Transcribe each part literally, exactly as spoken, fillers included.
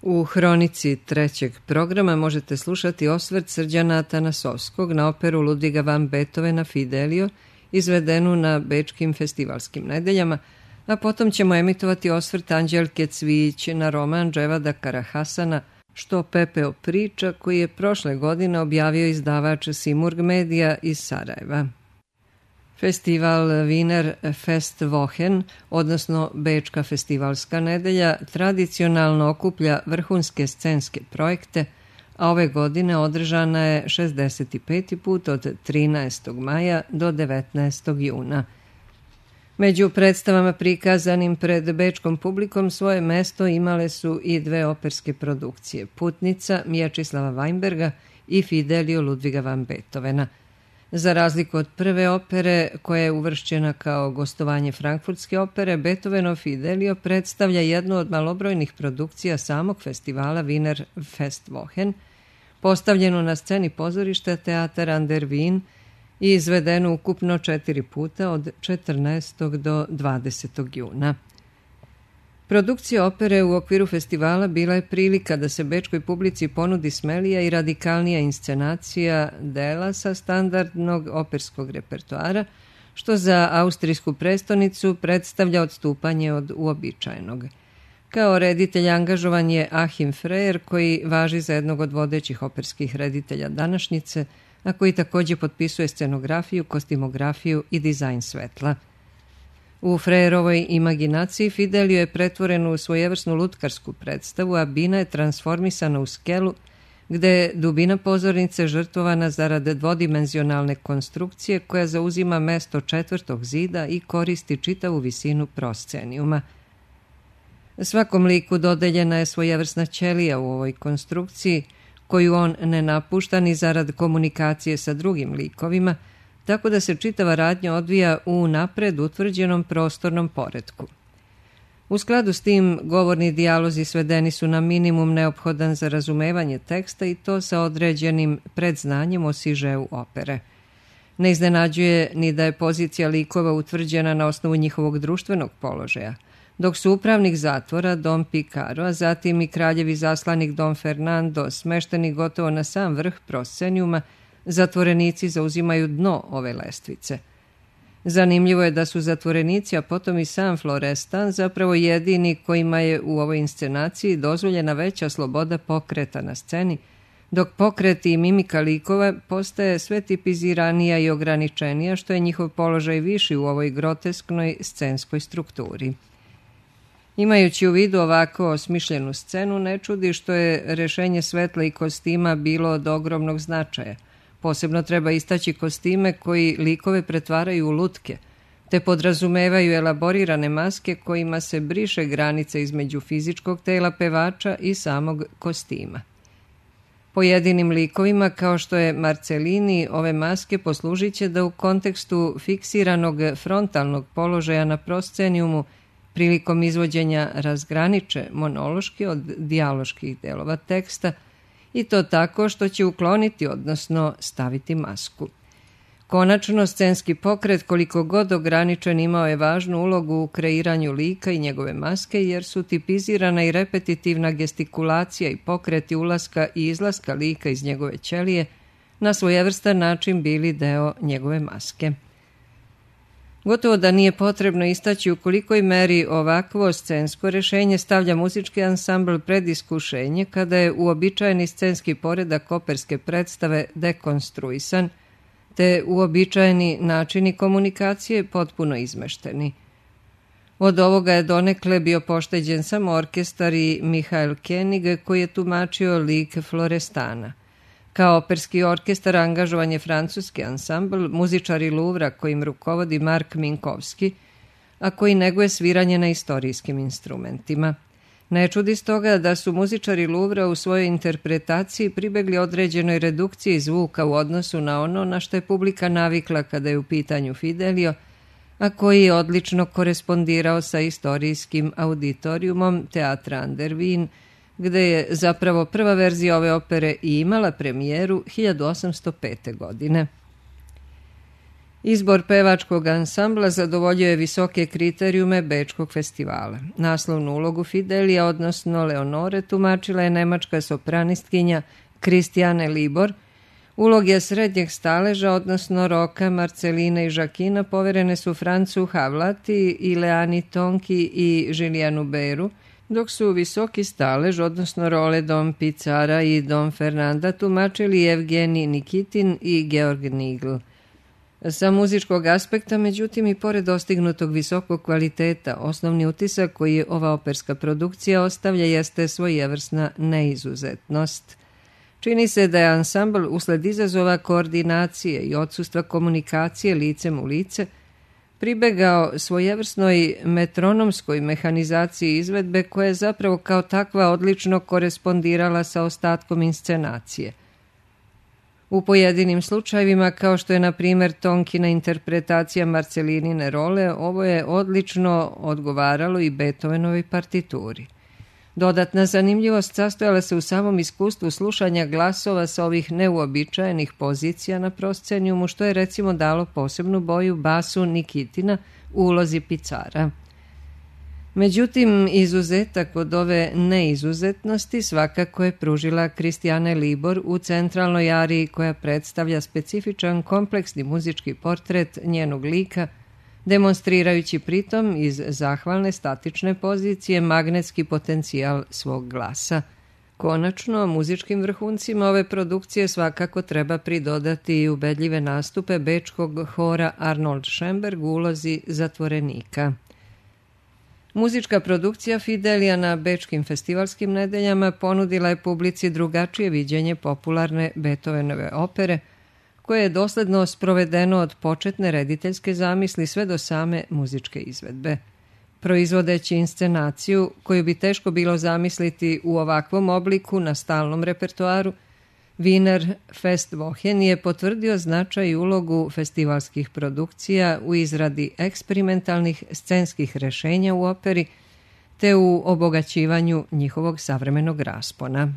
U hronici trećeg programa možete slušati osvrt Srđana Atanasovskog na operu Ludviga van Beethovena Fidelio, izvedenu na bečkim festivalskim nedeljama, a potom ćemo emitovati osvrt Anđelke Cvijić na roman Dževada Karahasana Što pepeo priča, koji je prošle godine objavio izdavač Simurg Medija iz Sarajeva. Festival Wiener Festwochen, odnosno Bečka festivalska nedelja, tradicionalno okuplja vrhunske scenske projekte, a ove godine održana je šezdeset peti put od trinaestog maja do devetnaestog juna. Među predstavama prikazanim pred bečkom publikom svoje mesto imale su i dve operske produkcije, Putnica Mječislava Weinberga i Fidelio Ludviga van Beethovena. Za razliku od prve opere, koja je uvršćena kao gostovanje Frankfurtske opere, Beethovenov Fidelio predstavlja jednu od malobrojnih produkcija samog festivala Wiener Festwochen, postavljenu na sceni pozorišta Teatar an der Wien i izvedenu ukupno četiri puta od četrnaestog do dvadesetog juna. Produkcija opere u okviru festivala bila je prilika da se bečkoj publici ponudi smelija i radikalnija inscenacija dela sa standardnog operskog repertoara, što za austrijsku prestonicu predstavlja odstupanje od uobičajenog. Kao reditelj angažovan je Achim Freyer, koji važi za jednog od vodećih operskih reditelja današnjice, a koji također potpisuje scenografiju, kostimografiju i dizajn svetla. U Frejerovoj imaginaciji Fidelio je pretvoren u svojevrsnu lutkarsku predstavu, a bina je transformisana u skelu, gde je dubina pozornice žrtvovana zarad dvodimenzionalne konstrukcije koja zauzima mesto četvrtog zida i koristi čitavu visinu proscenijuma. Svakom liku dodeljena je svojevrsna ćelija u ovoj konstrukciji, koju on ne napušta ni zarad komunikacije sa drugim likovima, tako da se čitava radnja odvija u napred utvrđenom prostornom poretku. U skladu s tim, govorni dijalozi svedeni su na minimum neophodan za razumevanje teksta i to sa određenim predznanjem o sižeu opere. Ne iznenađuje ni da je pozicija likova utvrđena na osnovu njihovog društvenog položaja, dok su upravnik zatvora Dom Picaro, a zatim i kraljevi zaslanik Dom Fernando smešteni gotovo na sam vrh proscenijuma, zatvorenici zauzimaju dno ove lestvice. Zanimljivo je da su zatvorenici, a potom i sam Florestan, zapravo jedini kojima je u ovoj inscenaciji dozvoljena veća sloboda pokreta na sceni, dok pokret i mimika likova postaje sve tipiziranija i ograničenija, što je njihov položaj viši u ovoj grotesknoj scenskoj strukturi. Imajući u vidu ovako osmišljenu scenu, ne čudi što je rešenje svetla i kostima bilo od ogromnog značaja. Posebno treba istaći kostime koji likove pretvaraju u lutke, te podrazumevaju elaborirane maske kojima se briše granica između fizičkog tela pevača i samog kostima. Pojedinim likovima, kao što je Marcellini, ove maske poslužit će da u kontekstu fiksiranog frontalnog položaja na proscenijumu prilikom izvođenja razgraniče monološki od dijaloških delova teksta, i to tako što će ukloniti, odnosno staviti masku. Konačno, scenski pokret, koliko god ograničen, imao je važnu ulogu u kreiranju lika i njegove maske, jer su tipizirana i repetitivna gestikulacija i pokreti ulaska i izlaska lika iz njegove ćelije na svojevrstan način bili deo njegove maske. Gotovo da nije potrebno istaći u kolikoj meri ovakvo scensko rešenje stavlja muzički ansambl pred iskušenje kada je uobičajeni scenski poredak operske predstave dekonstruisan, te uobičajeni načini komunikacije potpuno izmešteni. Od ovoga je donekle bio pošteđen samo orkestar i Mihael Koenig, koji je tumačio lik Florestana. Kao operski orkestar angažovan je francuski ansambl, muzičari Luvra kojim rukovodi Mark Minkovski, a koji neguje sviranje na istorijskim instrumentima. Ne čudi stoga da su muzičari Luvra u svojoj interpretaciji pribegli određenoj redukciji zvuka u odnosu na ono na što je publika navikla kada je u pitanju Fidelio, a koji je odlično korespondirao sa istorijskim auditorijumom Teatra an der Wien, gde je zapravo prva verzija ove opere i imala premijeru hiljadu osamsto pete. godine. Izbor pevačkog ansambla zadovoljio je visoke kriterijume Bečkog festivala. Naslovnu ulogu Fidelija, odnosno Leonore, tumačila je nemačka sopranistkinja Christiane Libor. Uloge srednjeg staleža, odnosno Roka, Marceline i Žakina, poverene su Francu Havlati, Ileani Tonki i Žilijanu Beru, dok su visoki stalež, odnosno role Dom Picara i Dom Fernanda, tumačili Evgenij Nikitin i Georg Nigl. Sa muzičkog aspekta, međutim, i pored dostignutog visokog kvaliteta, osnovni utisak koji ova operska produkcija ostavlja jeste svojevrsna neizuzetnost. Čini se da je ansambl usled izazova koordinacije i odsustva komunikacije licem u lice pribegao svojevrsnoj metronomskoj mehanizaciji izvedbe koja je zapravo kao takva odlično korespondirala sa ostatkom inscenacije. U pojedinim slučajevima, kao što je na primjer Tonkina interpretacija Marcelinine role, ovo je odlično odgovaralo i Beethovenovoj partituri. Dodatna zanimljivost sastojala se u samom iskustvu slušanja glasova sa ovih neuobičajenih pozicija na proscenijumu, što je recimo dalo posebnu boju basu Nikitina u ulozi Picara. Međutim, izuzetak od ove neizuzetnosti svakako je pružila Christiane Libor u centralnoj ariji koja predstavlja specifičan kompleksni muzički portret njenog lika, demonstrirajući pritom iz zahvalne statične pozicije magnetski potencijal svog glasa. Konačno, muzičkim vrhuncima ove produkcije svakako treba pridodati i ubedljive nastupe bečkog hora Arnold Schoenberg u ulozi zatvorenika. Muzička produkcija Fidelija na bečkim festivalskim nedeljama ponudila je publici drugačije viđenje popularne Beethovenove opere, koje je dosledno sprovedeno od početne rediteljske zamisli sve do same muzičke izvedbe. Proizvodeći inscenaciju, koju bi teško bilo zamisliti u ovakvom obliku na stalnom repertoaru, Wiener Festwochen je potvrdio značaj i ulogu festivalskih produkcija u izradi eksperimentalnih scenskih rešenja u operi te u obogaćivanju njihovog savremenog raspona.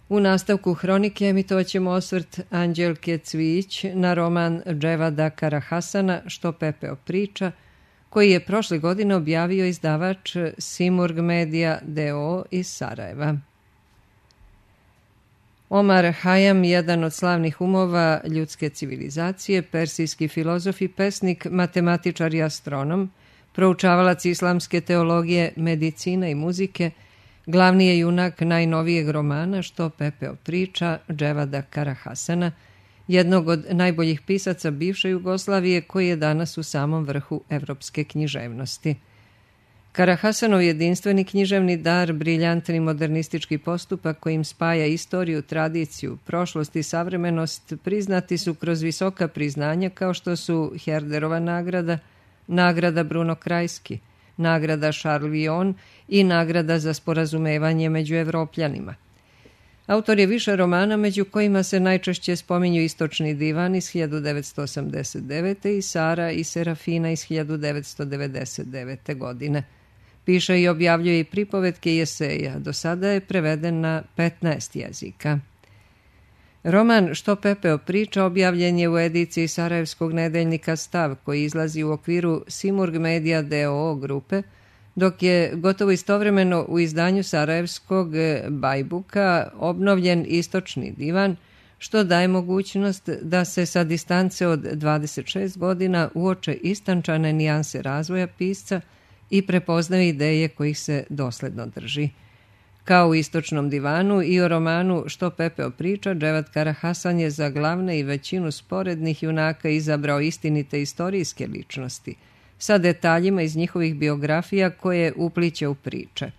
U nastavku hronike emitovat ćemo osvrt Anđelke Cvijić na roman Dževada Karahasana Što pepeo priča, koji je prošle godine objavio izdavač Simurg Media d o o iz Sarajeva. Omar Hayam, jedan od slavnih umova ljudske civilizacije, persijski filozof i pesnik, matematičar i astronom, proučavalac islamske teologije, medicine i muzike, glavni je junak najnovijeg romana Što pepeo priča Dževada Karahasana, jednog od najboljih pisaca bivše Jugoslavije koji je danas u samom vrhu evropske književnosti. Karahasanov jedinstveni književni dar, briljantni modernistički postupak kojim spaja istoriju, tradiciju, prošlost i savremenost priznati su kroz visoka priznanja kao što su Herderova nagrada, nagrada Bruno Krajski, nagrada Charles Villon i nagrada za sporazumevanje među Evropljanima. Autor je više romana, među kojima se najčešće spominju Istočni divan iz hiljadu devetsto osamdeset devete i Sara i Serafina iz hiljadu devetsto devedeset devete godine. Piše i objavljuje i pripovetke i eseja. Do sada je preveden na petnaest jezika. Roman Što pepeo priča objavljen je u ediciji sarajevskog nedeljnika Stav, koji izlazi u okviru Simurg Media d o o grupe, dok je gotovo istovremeno u izdanju sarajevskog Bajbuka obnovljen Istočni divan, što daje mogućnost da se sa distance od dvadeset šest godina uoče istančane nijanse razvoja pisca i prepoznaju ideje kojih se dosledno drži. Kao u Istočnom divanu i o romanu Što pepeo priča, Dževad Karahasan je za glavne i većinu sporednih junaka izabrao istinite istorijske ličnosti, sa detaljima iz njihovih biografija koje upliće u priče.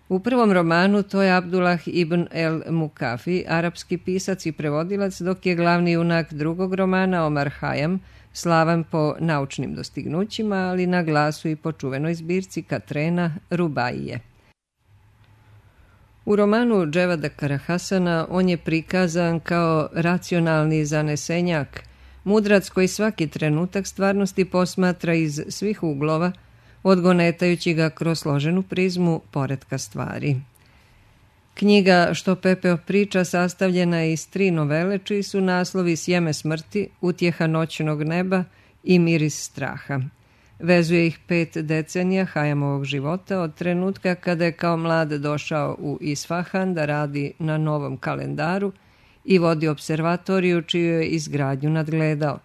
U prvom romanu to je Abdullah ibn el Mukafi, arapski pisac i prevodilac, dok je glavni junak drugog romana Omar Hayam, slavan po naučnim dostignućima, ali na glasu i po čuvenoj zbirci Katrena Rubaije. U romanu Dževada Karahasana on je prikazan kao racionalni zanesenjak, mudrac koji svaki trenutak stvarnosti posmatra iz svih uglova, odgonetajući ga kroz složenu prizmu poretka stvari. Knjiga Što pepeo priča sastavljena je iz tri novele čiji su naslovi Sjeme smrti, Utjeha noćnog neba i Miris straha. Vezuje ih pet decenija Hajamovog života od trenutka kada je kao mlad došao u Isfahan da radi na novom kalendaru i vodi observatoriju čiju je izgradnju nadgledao.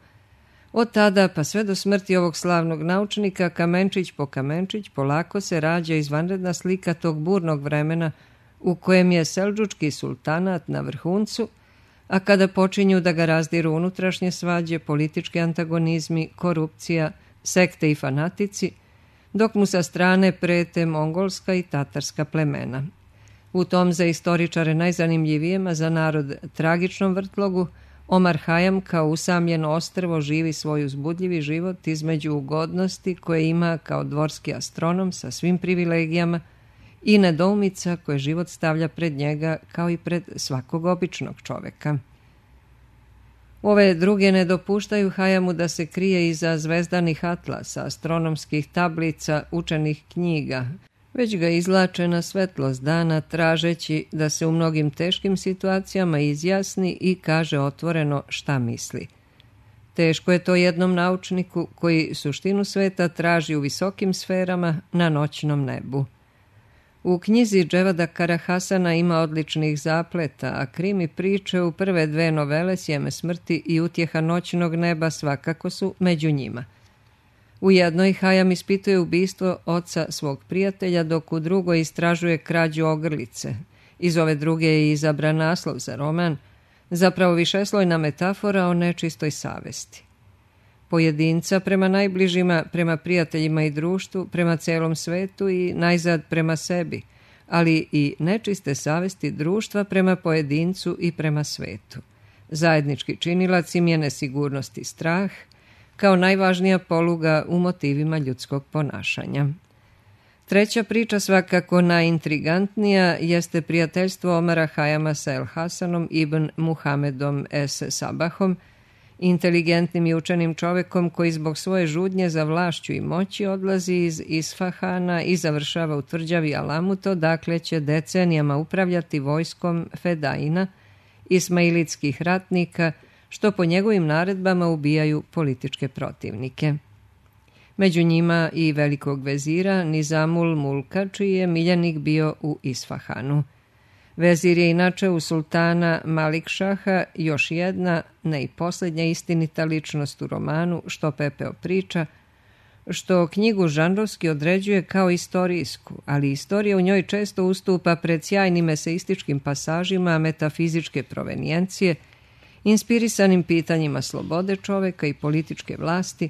Od tada pa sve do smrti ovog slavnog naučnika kamenčić po kamenčić polako se rađa izvanredna slika tog burnog vremena u kojem je seldžučki sultanat na vrhuncu, a kada počinju da ga razdiru unutrašnje svađe, politički antagonizmi, korupcija, sekte i fanatici, dok mu sa strane prete mongolska i tatarska plemena. U tom za istoričare najzanimljivijem, a za narod tragičnom vrtlogu, Omar Hayam kao usamljeno ostrvo živi svoj uzbudljivi život između ugodnosti koje ima kao dvorski astronom sa svim privilegijama i nedoumica koje život stavlja pred njega kao i pred svakog običnog čoveka. Ove druge ne dopuštaju Hayamu da se krije iza zvezdanih atlasa, astronomskih tablica, učenih knjiga, već ga izlače na svetlost dana tražeći da se u mnogim teškim situacijama izjasni i kaže otvoreno šta misli. Teško je to jednom naučniku koji suštinu sveta traži u visokim sferama na noćnom nebu. U knjizi Dževada Karahasana ima odličnih zapleta, a krimi priče u prve dve novele Sjeme smrti i Utjeha noćnog neba svakako su među njima. U jednoj Hayam ispituje ubistvo oca svog prijatelja, dok u drugoj istražuje krađu ogrlice. Iz ove druge je izabran naslov za roman, zapravo višeslojna metafora o nečistoj savesti. Pojedinca prema najbližima, prema prijateljima i društvu, prema celom svetu i najzad prema sebi, ali i nečiste savesti društva prema pojedincu i prema svetu. Zajednički činilac im je nesigurnost i strah, kao najvažnija poluga u motivima ljudskog ponašanja. Treća priča, svakako najintrigantnija, jeste prijateljstvo Omara Hayama sa El Hasanom ibn Muhamedom es Sabahom, inteligentnim i učenim čovekom koji zbog svoje žudnje za vlašću i moći odlazi iz Isfahana i završava u tvrđavi Alamuto, dakle će decenijama upravljati vojskom Fedaina, ismailitskih ratnika, što po njegovim naredbama ubijaju političke protivnike. Među njima i velikog vezira Nizamul Mulka, čiji je miljenik bio u Isfahanu. Vezir je inače u sultana Malikšaha još jedna, ne i posljednja istinita ličnost u romanu Što pepeo priča, što knjigu žanrovski određuje kao istorijsku, ali istorija u njoj često ustupa pred sjajnim eseističkim pasažima metafizičke provenijencije, inspirisanim pitanjima slobode čoveka i političke vlasti,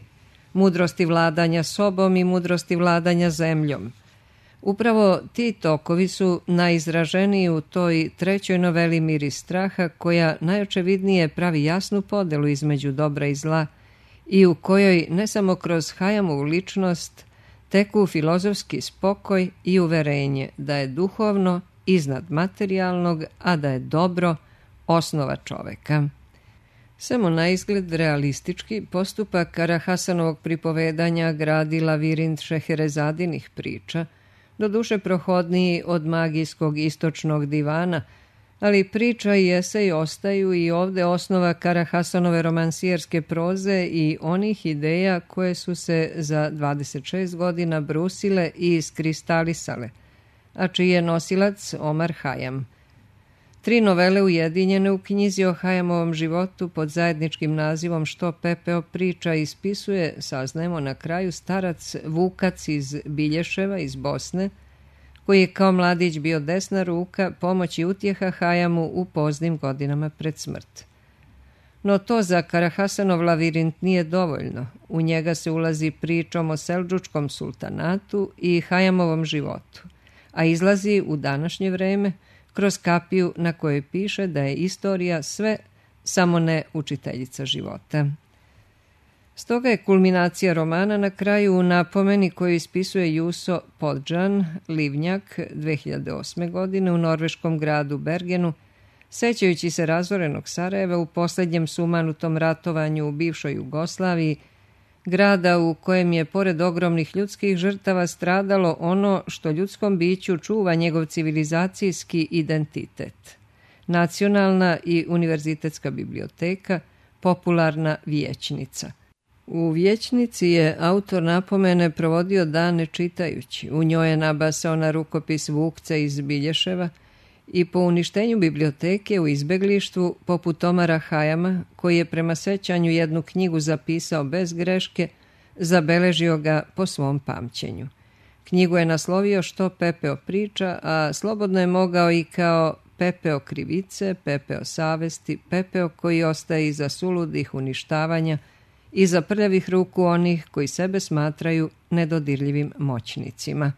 mudrosti vladanja sobom i mudrosti vladanja zemljom. Upravo ti tokovi su najizraženiji u toj trećoj noveli Miris straha, koja najočevidnije pravi jasnu podelu između dobra i zla i u kojoj ne samo kroz Hayamovu ličnost teku filozofski spokoj i uverenje da je duhovno iznad materijalnog, a da je dobro osnova čoveka. Samo na izgled realistički postupak Karahasanovog pripovedanja gradi lavirint Šeherezadinih priča, doduše prohodniji od magijskog istočnog divana, ali priča i esej ostaju i ovde osnova Karahasanove romansijerske proze i onih ideja koje su se za dvadeset šest godina brusile i iskristalisale, a čiji je nosilac Omar Hayam. Tri novele ujedinjene u knjizi o Hayamovom životu pod zajedničkim nazivom Što pepeo priča ispisuje, saznajemo na kraju, starac Vukac iz Bilješeva iz Bosne, koji je kao mladić bio desna ruka, pomoć i utjeha Hayamu u poznim godinama pred smrt. No to za Karahasanov lavirint nije dovoljno. U njega se ulazi pričom o seldžučkom sultanatu i Hayamovom životu, a izlazi u današnje vreme kroz kapiju na kojoj piše da je istorija sve, samo ne učiteljica života. Stoga je kulminacija romana na kraju u napomeni koju ispisuje Juso Podžan, Livnjak, dve hiljade osme. godine u norveškom gradu Bergenu, sećajući se razorenog Sarajeva u posljednjem sumanutom ratovanju u bivšoj Jugoslaviji, grada u kojem je pored ogromnih ljudskih žrtava stradalo ono što ljudskom biću čuva njegov civilizacijski identitet. Nacionalna i univerzitetska biblioteka, popularna vijećnica. U vijećnici je autor napomene provodio dane čitajući. U njoj je nabasao na rukopis Vukca iz Bilješeva i po uništenju biblioteke u izbeglištvu, poput Omara Hajama, koji je prema sećanju jednu knjigu zapisao bez greške, zabeležio ga po svom pamćenju. Knjigu je naslovio Što pepeo priča, a slobodno je mogao i kao pepeo krivice, pepeo savesti, pepeo koji ostaje iza suludih uništavanja, iza prljavih ruku onih koji sebe smatraju nedodirljivim moćnicima.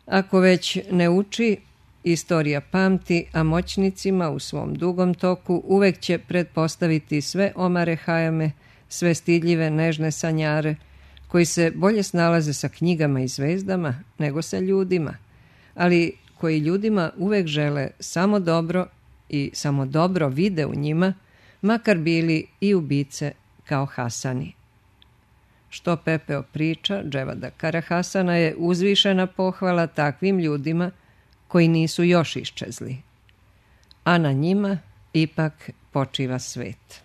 Ako već ne uči, istorija pamti, a moćnicima u svom dugom toku uvek će pretpostaviti sve Omare Hajame, sve stidljive nežne sanjare, koji se bolje snalaze sa knjigama i zvezdama nego sa ljudima, ali koji ljudima uvek žele samo dobro i samo dobro vide u njima, makar bili i ubice kao Hasani. Što pepeo priča Dževada Karahasana je uzvišena pohvala takvim ljudima koji nisu još iščezli, a na njima ipak počiva svet.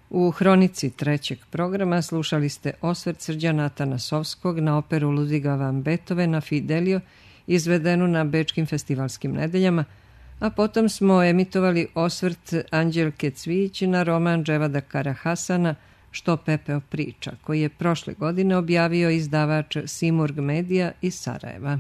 U hronici trećeg programa slušali ste osvrt Srđana Atanasovskog na operu Ludviga van Beethovena Fidelio, izvedenu na Bečkim festivalskim nedeljama, a potom smo emitovali osvrt Anđelke Cvijić na roman Dževada Karahasana Što pepeo priča, koji je prošle godine objavio izdavač Simurg Medija iz Sarajeva.